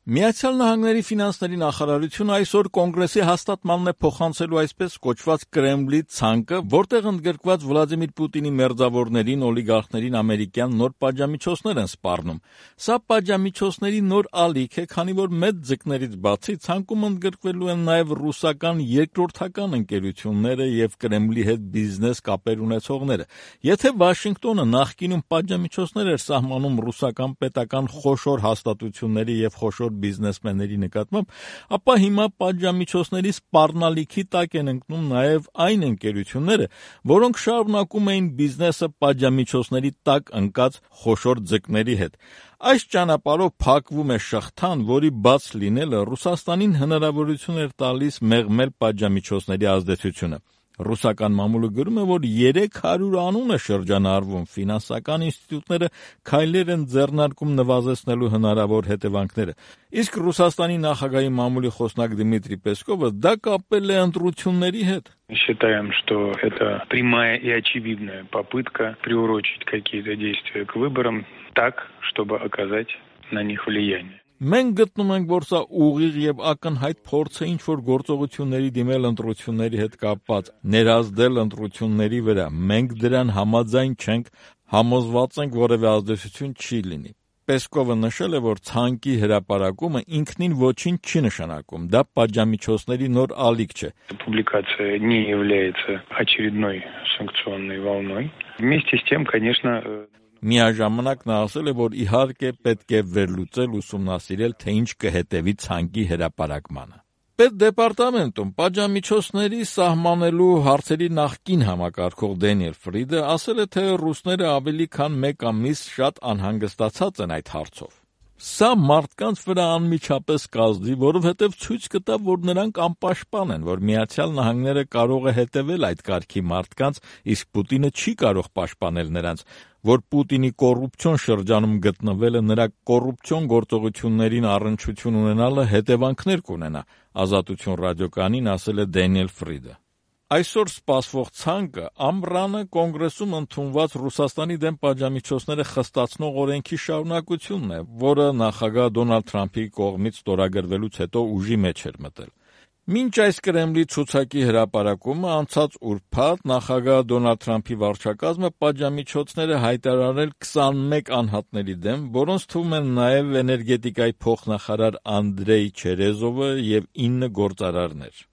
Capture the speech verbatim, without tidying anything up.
Միացյալ Նահանգների ֆինանսների նախարարությունը այսօր կոնգրեսի հաստատմանն է փոխանցելու այսպես կոչված Կրեմլի ցանկը, որտեղ ընդգրկված Վլադիմիր Պուտինի մերձավորներին, օլիգարխներին ամերիկյան նոր պատժամիջոցներ են սպառնում։ Սա պատժամիջոցների նոր ալիք է, քանի որ մեծ ձկներից բացի ցանկում ընդգրկվելու են նաև ռուսական երկրորդական ընկերությունները եւ Կրեմլի հետ բիզնես կապեր ունեցողները։ Եթե Վաշինգտոնը նախկինում պատժամիջոցներ էր սահմանում ռուսական պետական խոշոր հաստատությունների եւ խոշոր բիզնեսմենների նկատմամբ, ապա հիմա պատժամիջոցների սպառնալիքի տակ են ընկնում նաև այն ընկերությունները, որոնք շարունակում էին բիզնեսը պատժամիջոցների տակ ընկած խոշոր ձկների հետ։ Այս ճանապարհով փակվում է շղթան, որի բաց լինելը Ռուսաստանին հնարավորություն էր տալիս մեղմել պատժամիջոցների ազդեցությունը։ Ռուսական մամուլը գրում է, որ երեք հարյուր անուն է շրջանառվում, ֆինանսական ինստիտուտները քայլեր են ձեռնարկում նվազեցնելու հնարավոր հետևանքները։ Իսկ Ռուսաստանի նախագահի մամուլի խոսնակ Դմիտրի Պեսկովը դա կապել է ընտրությունների հետ։ Считаем, что это прямая и очевидная попытка приурочить какие-то действия к выборам так, чтобы оказать на них влияние. Մենք գտնում ենք, որ սա ուղիղ եւ ակնհայտ փորձ է ինչ-որ գործողությունների դիմել ընտրությունների հետ կապված, ներազդել ընտրությունների վրա։ Մենք դրան համաձայն չենք, համոզված ենք, որևէ ազդեցություն չի լինի։ Պեսկովը նշել է, որ ցանկի հրապարակումը ինքնին ոչինչ չի նշանակում, դա պատժամիջոցների նոր ալիք չէ։ Публикация не является очередной санкционной волной. Вместе с тем, конечно, Միաժամանակ նա ասել է, որ իհարկե պետք է վերլուծել, ուսումնասիրել, թե ինչ կհետևի ցանկի հրապարակմանը։ Պետդեպարտամենտում պատժամիջոցների սահմանելու հարցերի նախկին համակարգող Դենիել Ֆրիդը ասել է, թե ռուսները ավելի քան մեկ ամիս շատ անհանգստացած են այդ հարցով։ Սա մարդկանց վրա անմիջապես կազդի, որովհետև ցույց կտա, որ նրանք անպաշտպան են, որ Միացյալ Նահանգները կարող է հետևել այդ կարգի մարդկանց, իսկ Պուտինը չի կարող պաշտպանել նրանց, որ Պուտինի կոռուպցիոն շրջանում գտնվելը նրա կոռուպցիոն գործողություններին առնչություն ունենալը հետևանքներ կունենա, Ազատություն ռադիոկայանին ասել է Դենիել Ֆրիդը։ Այսօր սպասվող ցանկը ամռանը կոնգրեսում ընդունված Ռուսաստանի դեմ պատժամիջոցները խստացնող օրենքի շարունակությունն է, որը նախագահ Դոնալդ Թրամփի կողմից ստորագրվելուց հետո ուժի մեջ էր մտել։ Մինչ այս Կրեմլի ցուցակի հրապարակումը անցած ուրբաթ նախագահ Դոնալդ Թրամփի վարչակազմը պատժամիջոցները հայտարարել քսանմեկ անհատների դեմ, որոնց թվում են նաև էներգետիկայի փոխնախարար Անդրեյ Չերեզովը եւ ինը գործարարներ։